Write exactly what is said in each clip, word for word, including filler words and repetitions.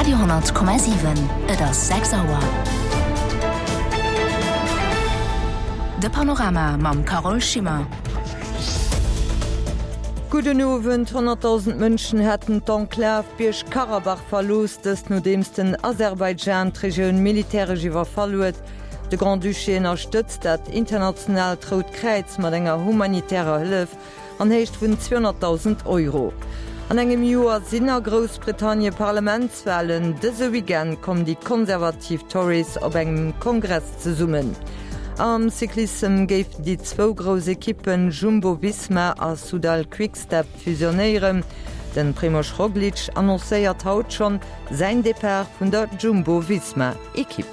Radio honnert Komma siwen, Et ass sechs Auer. De Panorama mam Carole Schimmer. Gudden Owend. Honnertdausend Mënschen hätten d'Enklav Bierg-Karabach verlooss, dëst nodeems den Aserbaidschan d'Regioun militäresch iwwerfall huet. De Grand-Duché ënnerstëtzt dat internationaalt Rout Kräiz mat enger humanitärer Hëllef an Héicht vun zweehonnertdausend Euro. An engem Joer sinn a Groussbritannie Parlamentswalen. Dëse Weekend kommen déi konservativ Tories op engem Kongress zesummen. Am Cyclissem géifen déi zwou grouss Ekippen Jumbo-Visma a Soudal Quick-Step fusionéieren. Den Primož Roglič annoncéiert haut schonn säin Depart vun der Jumbo-Visma-Ekipp.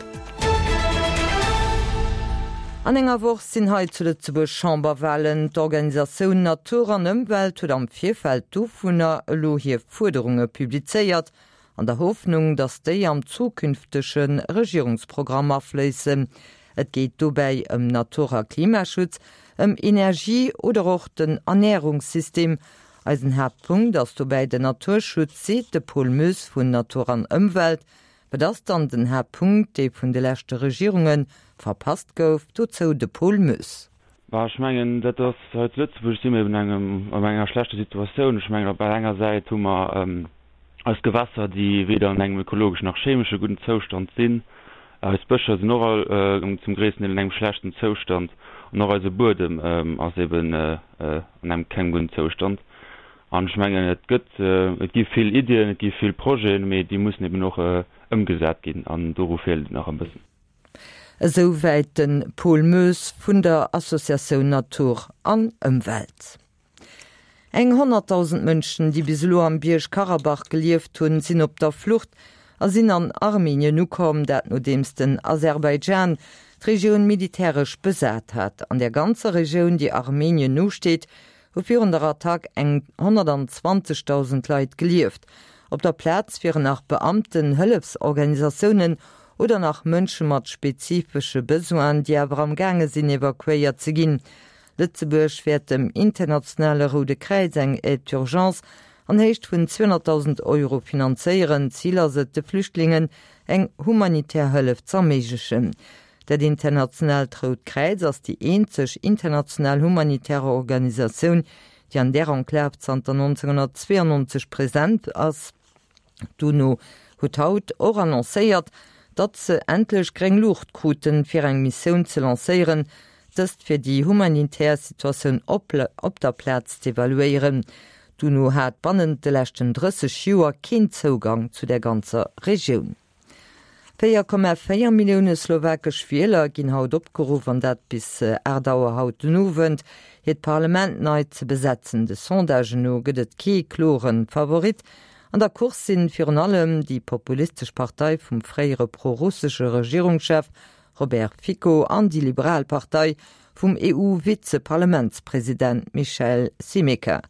An enger Woch sinn hei zu Lëtzebuerg Chamberwalen. D'Organisatioun Natur an Ëmwelt huet am Virfeld dovunner elo hir Fuerderunge publizéiert, an der Hoffnung, datt déi am zukünftege Regierungsprogramm afléissen. Et geet dobäi ëm Natur a Klimaschutz, ëm Energie oder och den Ernärungssystem. Eisen Haaptpunkt ass dobäi den Naturschutz, seet de Paul Moes vun Natur an Ëmwelt. Wat ass dann den Haaptpunkt, dee vun de leschte Regierunge verpasst gouf? Dozou de Paul Moes. Bah, ech mengen, dat ass, hei zu Lëtzebuerg si mir eben engem, an enger schlechter Situatioun. Ech mengen, op der enger Säit hu mer eis Gewässer, déi weder an engem ökologeschen nach chemesche gudden Zoustand sinn. Eis Bëscher sinn och all zum gréissten Deel an engem schlechten Zoustand. An och eise Buedem ass eben an engem kengem gudden Zoustand. An ech mengen, et gëtt, et gi vill Iddien, et gi vill Projeten, mee déi mussen eben och ëmgesat ginn an doru feelt et nach e bëssen. Esou wäit de Paul Moes vun der Associatioun Natur an Ëmwelt. Eng honnertdausend Mënschen, déi bis elo am Bierg Karabach gelieft hunn, sinn op der Flucht a sinn an Armenien ukomm, dat nodeems den Aserbaidschan d'Regioun militäresch besat hat. An der ganzer Regioun, déi Armenien nosteet, hu virun der Attack eng honnertanzwanzegdausend Leit gelieft. Op der Plaz wieren nach Beamten, Hëllefsorganisatiounen oder nach Mënsche mat spezifesche Besoinen, déi awer am gaange sinn evakuéiert ze ginn. Lëtzebuerg wäert dem Internationale Roude Kräiz eng Aide d'urgence an Héicht vun zweehonnertdausend Euro finanzéieren. Zil ass et, de Flüchtlingen eng humanitär Hëllef z'erméiglechen. Dat Internationaalt Rout Kräiz ass déi eenzeg international humanitär Organisatioun, déi an där Enklav zanter nonzénghonnertzweeannonzeg present ass. D'UNO huet haut och annoncéiert, datt se endlech gréng Luucht kruten, fir eng Missioun ze lancéieren, dëst fir déi humanitär Situatioun op op der Plaz z'evaluéieren. D'UNO hat bannent de leschten drësseg Joer keen Zougang zu der ganzer Regioun. Véier Komma véier Millioune slowakesch Wieler ginn haut opgeruff, an dat bis aacht Auer haut den Owend, hiert Parlament nei ze besetzen. De Sondagen no gëtt et kee klore Favorit. An der Course sinn virun allem déi populistesch Partei vum fréiere prorussesche Regierungschef Robert Fico an déi liberal Partei vum E U-Vizeparlamentspresident Michael Šimečka.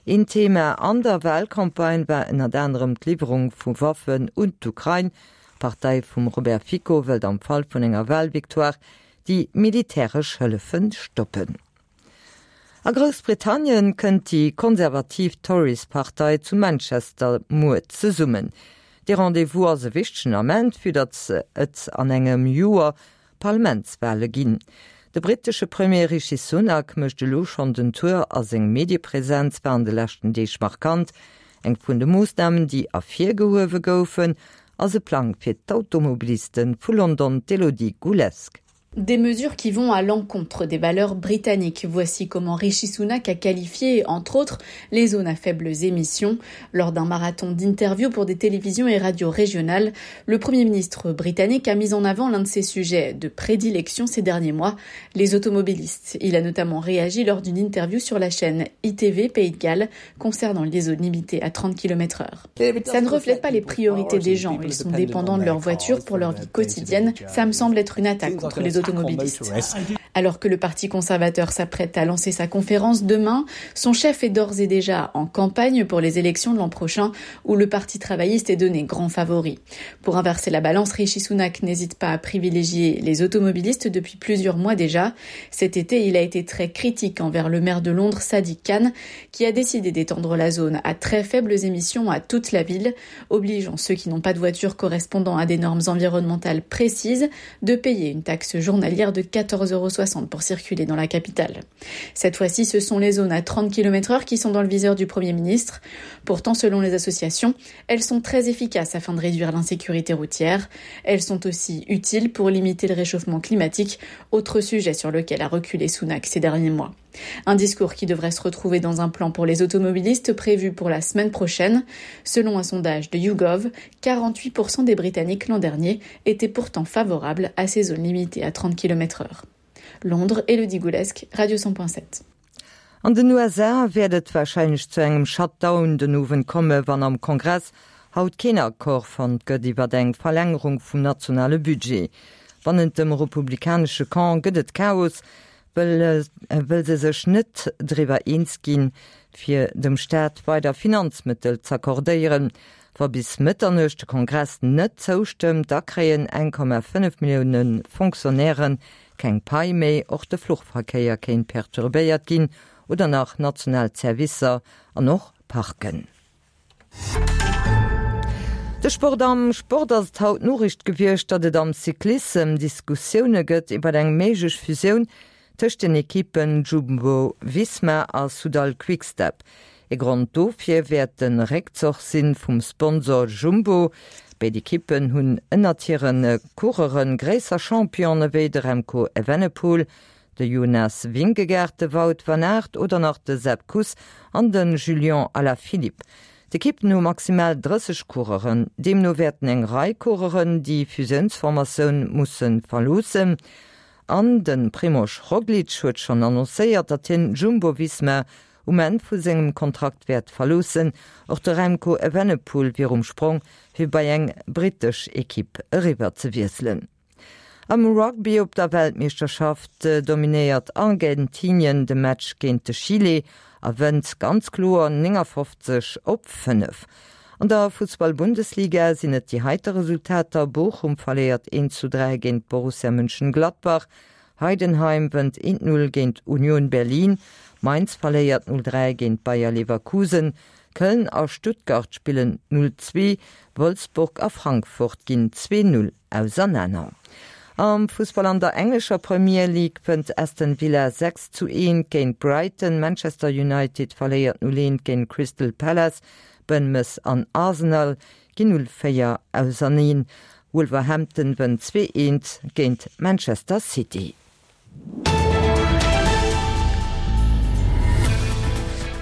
Een Thema an der Walcampagne war ënnert anerem d'Liwwerung vu Waffen un d'Ukrain. D'Partei vum Robert Fico wëllt am Fall vun enger Walvictoire déi militäresch Hëllefe stoppen. A Groussbritannien kënnt déi konservativ Tories-Partei zu Manchester muer zesummen. Dee Rendez-vous ass e wichtegen Ament, vue datt et an engem Joer Parlamentswale ginn. De brittesche Premier Rishi Sunak mécht elo schonn den Tour a seng Mediepresenz war an de leschten Deeg markant. Eng vun de Moossnamen, déi ervirgehuewe goufen, ass e Plang fir d'Automobiliste vu London, d'Elodie Goulesque. Des mesures qui vont à l'encontre des valeurs britanniques. Voici comment Rishi Sunak a qualifié, entre autres, les zones à faibles émissions. Lors d'un marathon d'interviews pour des télévisions et radios régionales, le Premier ministre britannique a mis en avant l'un de ses sujets de prédilection ces derniers mois, les automobilistes. Il a notamment réagi lors d'une interview sur la chaîne I T V Pays de Galles concernant les zones limitées à trente kilomètres heure. Ça ne reflète pas les priorités des gens. Ils sont dépendants de leur voiture pour leur vie quotidienne. Ça me semble être une attaque contre les automobilistes. Alors que le Parti conservateur s'apprête à lancer sa conférence demain, son chef est d'ores et déjà en campagne pour les élections de l'an prochain où le Parti travailliste est donné grand favori. Pour inverser la balance, Rishi Sunak n'hésite pas à privilégier les automobilistes depuis plusieurs mois déjà. Cet été, il a été très critique envers le maire de Londres, Sadiq Khan, qui a décidé d'étendre la zone à très faibles émissions à toute la ville, obligeant ceux qui n'ont pas de voiture correspondant à des normes environnementales précises de payer une taxe journalière de quatorze euros soixante pour circuler dans la capitale. Cette fois-ci, ce sont les zones à trente kilomètres heure qui sont dans le viseur du Premier ministre. Pourtant, selon les associations, elles sont très efficaces afin de réduire l'insécurité routière. Elles sont aussi utiles pour limiter le réchauffement climatique, autre sujet sur lequel a reculé Sunak ces derniers mois. Un discours qui devrait se retrouver dans un plan pour les automobilistes prévu pour la semaine prochaine. Selon un sondage de YouGov, quarante-huit pour cent des Britanniques l'an dernier étaient pourtant favorables à ces zones limitées à trente kilomètres heure. Londres, Elodie Goulesque, Radio cent point sept. An den U S A wäert et wahrscheinlech zu engem Shutdown den Owend komme, wann am Kongress haut keen Accord fonnt gëtt iwwer eng Verlängerung vum nationale Budget. Bannent dem republikanesche Camp gëtt et Chaos, well, äh, well se sech net driwwer eens ginn, fir dem Staat weider Finanzmittel z'accordéieren. Wa bis Mitternuecht de Kongress net zoustëmmt, da kréien eng Komma fënnef Millioune Fonctionnairen keng Pai méi, och de Fluchverkéier kéint perturbéiert ginn oder nach national Servicer an och Parken. De Sport am Sport ass et haut Noriicht gewiescht, datt et am Cyclissem Diskussioune gëtt iwwer eng méiglech Fusioun tëscht den Ekippen Jumbo Visma a Soudal Quickstep. E Grond dofir wäert den Réckzoch sinn vum Sponsor Jumbo. Béid Ekippen hunn ënnert hiren Coureuren gréisser Champione wéi de Remco Evenepoel, de Jonas Vingegaard, de Wout van Aert oder nach de Sepp Kuss an den Julien Alaphilippe. D'Ekippen hu maximal drësseg Coureuren. Deemno wäerten eng Rei Coureuren déi Fusiounsformatioun musse verloossen. An den Primož Roglič huet schonn annoncéiert, datt hien Jumbo Visma um Enn vu sengem Kontrakt wäert verloossen. Och de Remco Evenepoel wier um Sprong, fir bei eng britesch Ekipp eriwwer ze wiesselen. Am Rugby op der Weltmeeschterschaft dominéiert Argentinien de Match géint de Chile a wënnt ganz kloer neunundfünfzig op fënnef. An der Fußball-Bundesliga sinn et déi heite Resultater. Bochum verléiert eent zu dräi géint Borussia Mönchengladbach, Heidenheim wënnt eent null géint Union Berlin, Mainz verléiert null dräi géint Bayer Leverkusen, Köln a Stuttgart spillen null zwee, Wolfsburg a Frankfurt ginn zwee null auseinander. Am Fußball an der englescher Premier League wënnt Aston Villa sechs zu eent géint Brighton, Manchester United verléiert null eent géint Crystal Palace, Bournemouth an Arsenal ginn null véier auserneen, Wolverhampton wënnt zwee eent géint Manchester City.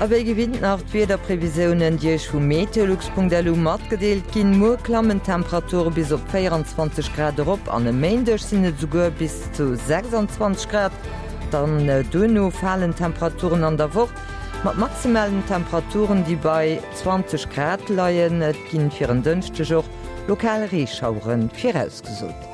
A wéi gewinnt nach d'Wiederprevisiounen, déi iech vu meteolux punkt L U matgedeelt ginn. Muer klammen Temperature bis op vierundzwanzig Grad erop, an e Méindeg sinn et souguer bis zu sechsundzwanzig Grad. Dann, äh, duerno falen Temperaturen an der Woch mat maximalen Temperaturen, déi bei zwanzig Grad leien. Et ginn fir en Dënschdeg och lokal Reeschauere virausgesot.